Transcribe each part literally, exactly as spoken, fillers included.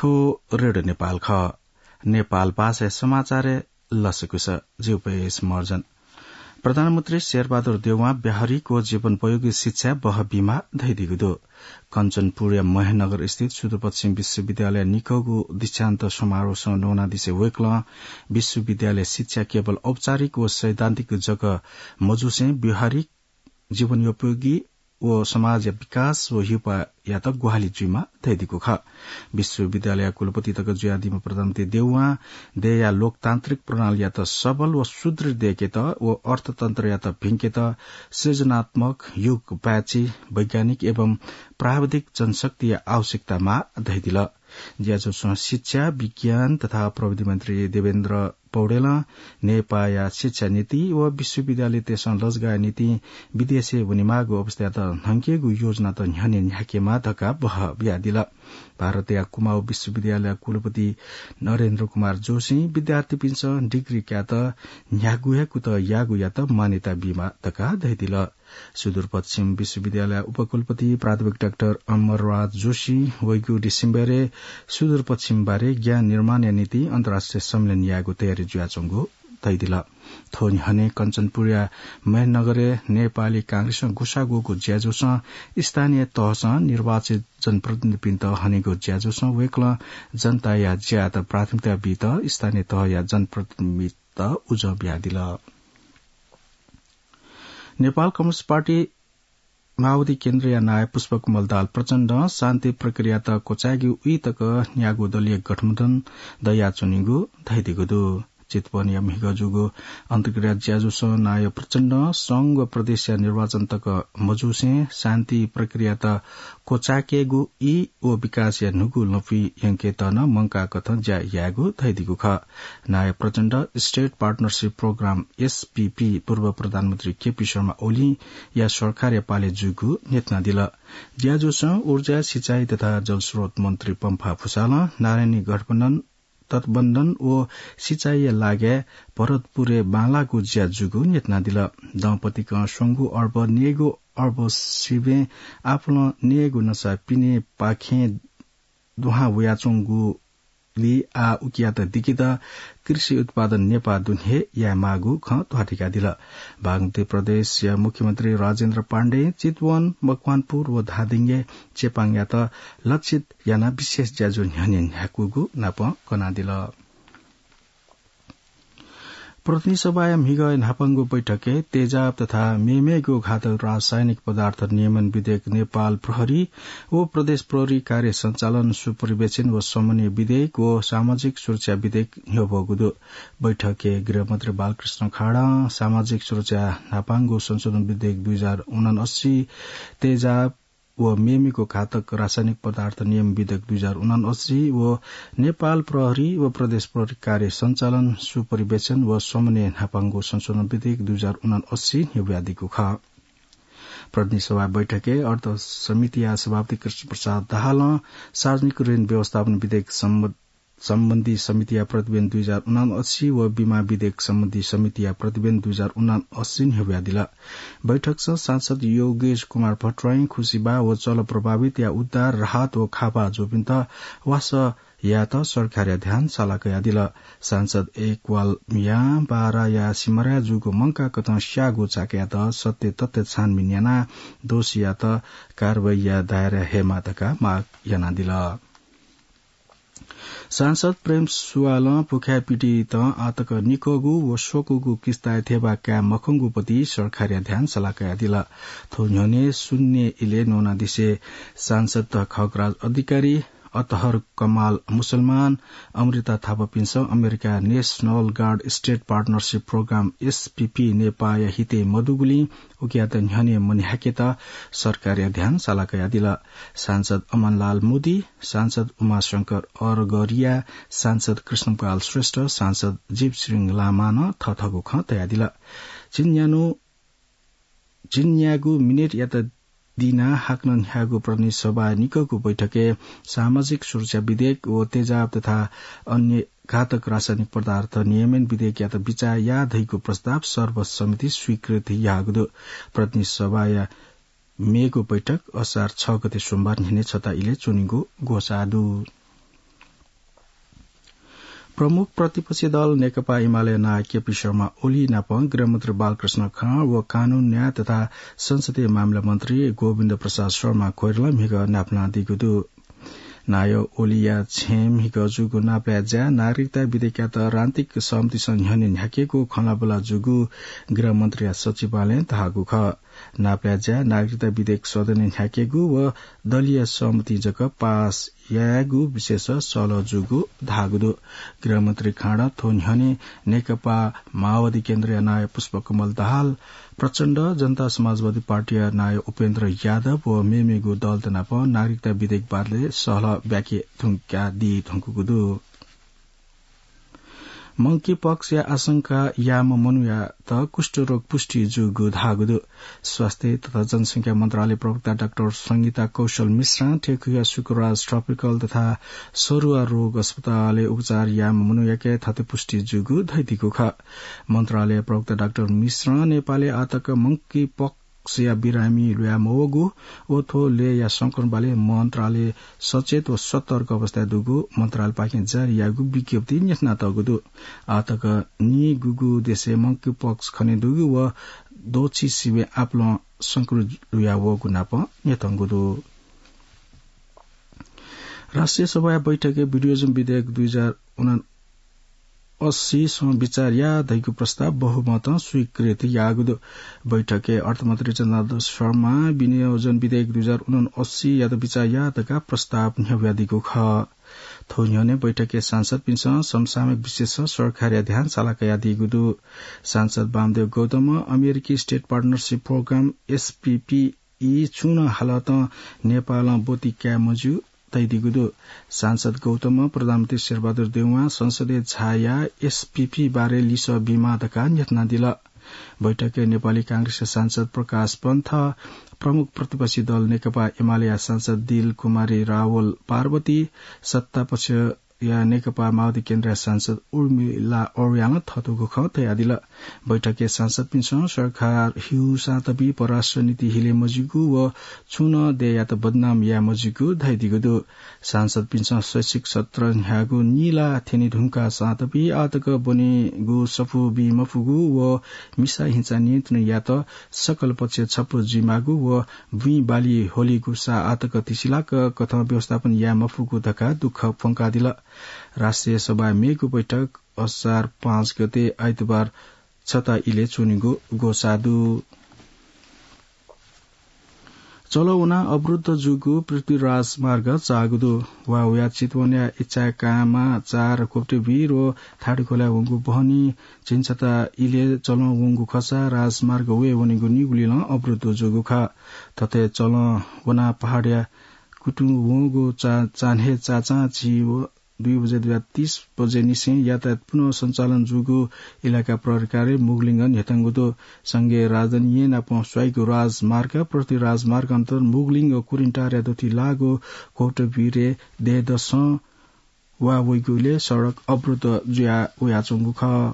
थ्व रेडियो नेपाल खः। नेपाल भाषाया समाचारय् लसकुस। जिगु पेश मर्जन। प्रधानमन्त्री शेरबहादुर देउवां व्यावहारिक व जीवनोपयोगी शिक्षा बहःबीमाः धयादीगु दु। कञ्चनपुरया महेन्द्रनगर स्थित सुदूरपश्चिम विश्वविद्यालय निक्वःगु दीक्षान्त समारोहसं न्वनादिसे वय्कलं विश्वविद्यालय शिक्षा केवल औपचारिक व सैद्धान्तिक जक मजुसें व्यावहारिक, जीवनोपयोगी व समाजया विकास व ह्यूपाःयात ग्वाहालि जुइमाः धयादीगु खः। विश्वविद्यालयया कुलपति तक जुयादीम्ह प्रधानमन्त्री देउवां देय्‌या लोकतान्त्रिक प्रणालीयात सबल व सुदृढ दय्‌केत व अर्थतन्त्रयात भिंकेत सृजनात्मक, युगपाय्‌छि, वैज्ञानिक एवं प्राविधिक जनशक्तिया आवश्यकता माः धयादिल। ज्याझ्वलय् शिक्षा, विज्ञान तथा प्रविधि मन्त्री देवेन्द्र पौडेलं नेपाःया शिक्षा नीति व विश्वविद्यालयतय्‌सं लजगाःया निंतिं विदेशय् वनेमाःगु अवस्थायात न्हंकेगु योजनात न्ह्यःने न्ह्याकेमाः धकाः बहः बियादिल। भारतया कुमाऊ विश्वविद्यालयया कुलपति नरेन्द्र कुमार जोशीं विद्यार्थीपिन्सं डिग्री कायेत न्ह्यागु हे कुतः याःगुयात मान्यता बीमाः धकाः धयादिल। सुदूरपश्चिम विश्वविद्यालय उपकुलपति प्राध्यापक डाक्टर अमरराज जोशी वइगु डिसेम्बरय् सुदूरपश्चिमबारे ज्ञान निर्माणया निंतिं अन्तर्राष्ट्रिय सम्मेलन यायेगु तयारी जुयाच्वंगु धयादिल। थ्व न्ह्यःने कञ्चनपुरया महेन्द्रनगरय् नेपाली कांग्रेसं ग्वसाः ग्वःगु ज्याझ्वलय् स्थानीय तहसं निर्वाचित जनप्रतिनिधिपिन्त हनेगु ज्याझ्वलय् वय्कलं जनताया ज्यायात प्राथमिकता बीत स्थानीय तहया जनप्रतिनिधिपिन्त उजं बियादिल। नेपाल कम्युनिस्ट पार्टी माओवादी केन्द्रया नायः पुष्पकमल दाहाल प्रचण्डं शान्ति प्रक्रियात क्वचायेगु ई तक न्यागू दलीय गठबन्धन दयाच्वनीगु धयादीगु दु। चितवनया म्हिगः जूगु अन्तर्क्रिया ज्याझ्वलय् नायः प्रचण्डं संघ व प्रदेशया निर्वाचन तक मजुसें शान्ति प्रक्रियात क्वचायेकेगु ई व विकासया न्हूगु लँपुइ यंकेत नं मंकाःकथं ज्या यायेगु धयादीगु खः। नायः प्रचण्ड State Partnership Programme, एसपीपी, पूर्व प्रधानमन्त्री केपी शर्मा ओलीया सरकारया पालय् जूगु न्ह्यथनादिल। ज्याझ्वलय् ऊर्जा, सिँचाइ तथा जलस्रोत मन्त्री पम्फा भुसालं नारायणी गठबन्धन तटबन्धन व सिँचाइया लागिं भरतपुरय् बांलाःगु ज्या जूगु न्ह्यथनादिल। दम्पतिकं स्वंगू अर्ब नयेगू अर्ब सिबें आपालं नयेगू नसा पिनेपाखें दुहां वयाच्वंगुलिं आः उकियात दिकेत कृषि उत्पादन नेपाः दुने हे यायेमाःगु खँ ध्वाथुइकादिल। बागमती प्रदेशया मुख्यमन्त्री राजेन्द्र पाण्डें चितवन, मकवानपुर व धादिङय् चेपाङयात लक्षित यानाः विशेष ज्याझ्वः न्ह्यःने न्ह्याकूगु नापं कनादिल। प्रतिनिधि सभाया म्हिगः न्हापांगु बैठकय् तेजाब तथा मेमेगु घातक रासायनिक पदार्थ नियमन विधेयक नेपाल प्रहरी व प्रदेश प्रहरी कार्य सञ्चालन, सुपरिवेक्षण व समन्वय विधेयक व सामाजिक सुरक्षा विधेयक न्ह्यब्वःगु दु। बैठकय् गृहमन्त्री बालकृष्ण खाडं सामाजिक सुरक्षा न्हापांगु संशोधन विधेयक दुई हजार उनासी, तेजाब व मेमेगु घातक रासायनिक पदार्थ नियमन विधेयक दुई हजार उनासी व नेपाल प्रहरी व प्रदेश प्रहरी कार्य सञ्चालन, सुपरिवेक्षण व समन्वय न्हापांगु संशोधन विधेयक दुई हजार उनासी न्ह्यब्वयादीगु खः। प्रतिनिधि सभा बैठकय् अर्थ समितिया सभापति कृष्ण प्रसाद दाहालं सार्वजनिक ऋण व्यवस्थापन विधेयक सम्ब- सम्बन्धी समितिया प्रतिवेदन दुई हजार उनासी व बिमा विधेयक सम्बन्धी समितिया प्रतिवेदन दुई हजार उनासी न्ह्यब्वयादिल। बैठकसं सांसद योगेश कुमार भट्टराईं खुसिबा व चल प्रभावितया उद्धार, राहत व खापा जूपिन्त वासः यायेत सरकारया ध्यान साला कयादिल। सांसद एकवाल मियां बाराया सिमराय् जूगु मंकाःकथं स्याःगु चाकःयात सत्य तथ्य छानबिन यानाः दोषीयात कारवाहीया दायरा हयेमाः धकाः माग यानादिल। सांसद प्रेम सुवालं पुखाय् पिडितं आःतक निक्वःगु व स्वकूगु किस्ताया थेबा काये मखंगु प्रति सरकारया ध्यान साला कयादिल। थ्व न्ह्यःने शून्य इलय् न्वनादिसे सांसद खगराज अधिकारी, अतहर कमाल मुसलमान, अमृता थापापिन्सं America National Guard State Partnership Programme, SPP, नेपाःया हितय् मदुगुलिं उकियात न्ह्यःने मन्ह्याकेत सरकारया ध्यान साला कयादिल। सांसद अमनलाल मोदी, सांसद उमाशंकर अरगरिया, सांसद कृष्णपाल श्रेष्ठ, सांसद जीवसिंह लामां नं थःथःगु खँ तयादिल। झिंन्यान्हु, झिंन्यागू मिनेटयात दिनाः हाकनं न्ह्याःगु प्रतिनिधि सभा निक्वःगु बैठकय् सामाजिक सुरक्षा विधेयक व तेजाब तथा अन्य घातक रासायनिक पदार्थ नियमन विधेयकयात बिचाः याः धइगु प्रस्ताव सर्वसम्मति स्वीकृत याःगु दु। प्रतिनिधि सभाया मेगु बैठक असार छ गते सोमबार न्ह्यःने छता इलय् च्वनीगु ग्वसाः दु। प्रमुख प्रतिपक्षी दल नेकपा एमाले नायः केपी शर्मा ओली नाप गृहमन्त्री बालकृष्ण खाँड व कानून, न्याय तथा संसदीय मामिला मन्त्री गोविन्द प्रसाद शर्मा कोइरालां म्हिगः नापलानादीगु दु। नायः ओलीया छेँय् म्हिगः जूगु नापलाये ज्याय् नागरिकता विधेयकयात राजनीतिक सहमतिसं न्ह्यःने न्ह्याकेगु खँल्हाबल्हा जूगु गृहमन्त्रीया सचिवालयं धाःगु खः। नापलाये ज्याय् नागरिकता विधेयक सदनय् न्ह्याकेगु व दलीय सहमतिं जक पास यायेगु विशेष सहलह जूगु धाःगु दु। गृहमन्त्री खाँडं थ्व न्ह्यःने नेकपा माओवादी केन्द्रया नायः पुष्पकमल दाहाल, प्रचण्ड, जनता समाजवादी पार्टीया नायः उपेन्द्र यादव व मेमेगु दलत नाप नागरिकता विधेयक बारे सहलह ब्याके धुंकादी धुंकूगु दु। मंकी पक्सया आशंका याःम्ह मनूयात कुष्ठरोग पुष्टि जूगु धाःगु दु। स्वास्थ्य तथा जनसंख्या मन्त्रालय प्रवक्ता डाक्टर संगीता कौशल मिश्रां थेंक्वया शुक्रबार ट्रपिकल तथा सरुवा रोग अस्पतालय् उपचार याःम्ह मनूयाके थथे पुष्टि जूगु धयादीगु खः। मन्त्रालय प्रवक्ता डाक्टर मिश्रं नेपालय् आःतक मंकी पक्सया बिरामी ल्हुया मवःगु व थ्व लय्‌या संक्रमण बारे मन्त्रालय सचेत व सतर्क अवस्थाय् दुगु मन्त्रालयपाखें जारी याःगु विज्ञप्तिइ न्ह्यथनातःगु दु। आःतक निगूगु देशय् मंकी पक्स खनेदुगु व द्वःछि सिबें आपालं संक्रमित ल्हुया वःगु नाप न्ह्यथंगु दु। राष्ट्रिय सभाया बैठकय् विनियोजन विधेयक दुई हजार उनअस्सीसं विचार या धइगु प्रस्ताव बहुमतं स्वीकृत याःगु दु। बैठकय् अर्थमन्त्री जनार्दन शर्मां विनियोजन विधेयक दुई हजार उनअस्सीयात विचार या धकाः प्रस्ताव न्ह्यब्वयादीगु खः। थ्व न्ह्यःने बैठकय् सांसदपिन्सं समसामयिक विषयसं सरकारया ध्यान साला कयादीगु दु। सांसद वामदेव गौतमं अमेरिकी स्टेट पार्टनरसिप प्रोग्राम, एसपीपी, ई छुं नं हालतं नेपालं ब्वति काये मज्यू धयादीगु दु। सांसद गौतमं प्रधानमन्त्री शेरबहादुर देउवां संसदय् झायाः एसपीपी बारे लिसः बीमाः धकाः न्ह्यथनादिल। बैठकय् नेपाली कांग्रेसया सांसद प्रकाश पन्थ, प्रमुख प्रतिपक्षी दल नेकपा एमालेया सांसद दिल कुमारी रावल पार्वती, सत्तापक्ष या नेकपा माओवादी केन्द्रया सांसद उर्मिला अर्यालं थःतूगु खँ धयादिल। बैठकय् सांसदपिन्सं सरकार हिउसां तबी परराष्ट्र नीति हिले मज्यूगु व छुं नं देय्‌यात बदनाम याये मज्यूगु धयादीगु दु। सांसदपिन्सं शैक्षिक सत्र न्ह्यागु निला थ्यने धुंकाः सां तबी आःतक ब्वनेगु सफू बी मफुगु व मिसा हिंसा नियन्त्रण यायेत सकल पक्ष छपु जुइमाःगु व बुँइ बाली होलीगु सा आःतक तिसिलाक कथं व्यवस्थापन याये मफुगु धकाः दुःख प्वंकादिल। राष्ट्रिय सभाया मेगु बैठक असार पाँच गते आइतबार छता इलय् च्वनेगु ग्वसाः दु। चलं वनाः अवरुद्ध जूगु पृथ्वी राजमार्ग चाःगु दु। वा वया चितवनया इचाकामा चार कोप्टे वीर व थाडुखोलाय् वंगु बहनी झिंछता इलय् चलं वंगु खःसा राजमार्ग वये वनेगु निगुलिलं अवरुद्ध जूगु खः। थथे चलं वनाः पहाडया कुतुं वंगु चा-, चान्हय् चाचां झी व दुई बजे दुया तीस बजे निसें यातायात पुनः सञ्चालन जूगु इलाका प्रहरी कार्यालय मुगलिंगं न्ह्यथंगु दु। संघीय राजधानी येँ नाप स्वाइगु राजमार्ग, पृथ्वी राजमार्ग अन्तर्गत मुगलिंग कुरिन्टारया दथुइ लाःगु कोटभिरे दय्‌दसं वा वइगुलिं सडक अवरुद्ध जुया वयाच्वंगु खः।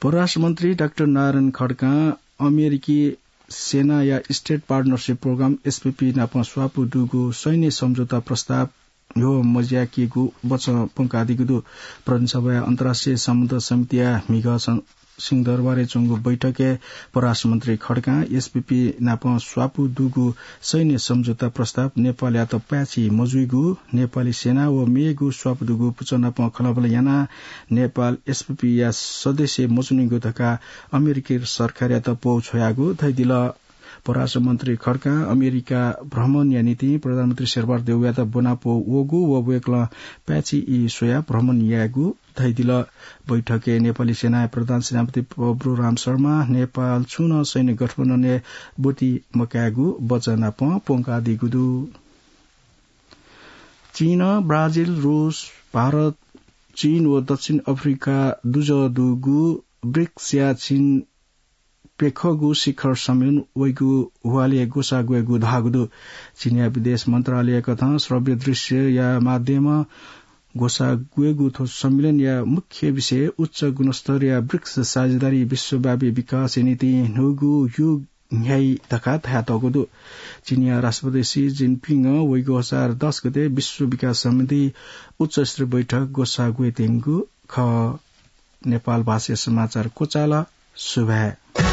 परराष्ट्र मन्त्री डाक्टर नारायण खड्कां अमेरिकी सेनाया स्टेट पार्टनरसिप प्रोग्राम, एसपीपी, नाप स्वापू दुगु सैन्य सम्झौता प्रस्ताव न्ह्यः मज्याकेगु वचं प्वंकादीगु दु। प्रतिनिधि सभाया अन्तर्राष्ट्रिय सम्बन्ध समितिया म्हिगः स-, सिंहदरबारय् च्वंगु बैठकय् परराष्ट्र मन्त्री खड्कां एसपीपी नाप स्वापू दुगु सैन्य सम्झौता प्रस्ताव नेपालयात पाय्‌छि मजुइगु, नेपाली सेना व मेगु स्वापू दुगु पुचः नाप खँल्हाबल्हा यानाः नेपाल एसपीपीया सदस्य मच्वनीगु धकाः अमेरिकी सरकारयात प्वः छ्वयागु धयादिल। परराष्ट्र मन्त्री खड्कां अमेरिका भ्रमणया निंतिं प्रधानमन्त्री शेरबहादुर देउवायात ब्वनाप्वः वःगु व वय्‌कलं पाय्‌छि ई स्वयाः भ्रमण यायेगु धयादिल। बैठकय् नेपाली सेनाया प्रधान सेनापति प्रभुराम शर्मां नेपाल छुं नं सैन्य गठबन्धनय् ब्वति मकायेगु वचं नाप प्वंकादीगु दु। चीन, ब्राजिल, रूस, भारत, चीन व दक्षिण अफ्रिका दुजः दुगु ब्रिक्सया चीन प्यखःगु शिखर सम्मेलन वइगु ह्वालय् ग्वसाः ग्वयेगु धाःगु दु। चीनया विदेश मन्त्रालयकथं श्रव्य दृश्यया माध्यमं ग्वसाः ग्वयेगु थ्व सम्मेलनया मुख्य विषय उच्च गुणस्तरया ब्रिक्स साझेदारी विश्वव्यापी विकासया निंतिं न्हूगु युग न्ह्याइ धकाः धयातःगु दु। चीनया राष्ट्रपति सी जिनपिंगं वइगु असार दस गते विश्व विकास समिति उच्च स्तरीय बैठक ग्वसाः ग्वयेत्यंगु खः। नेपाल भाषाया समाचार क्वचाल। सुभाय्।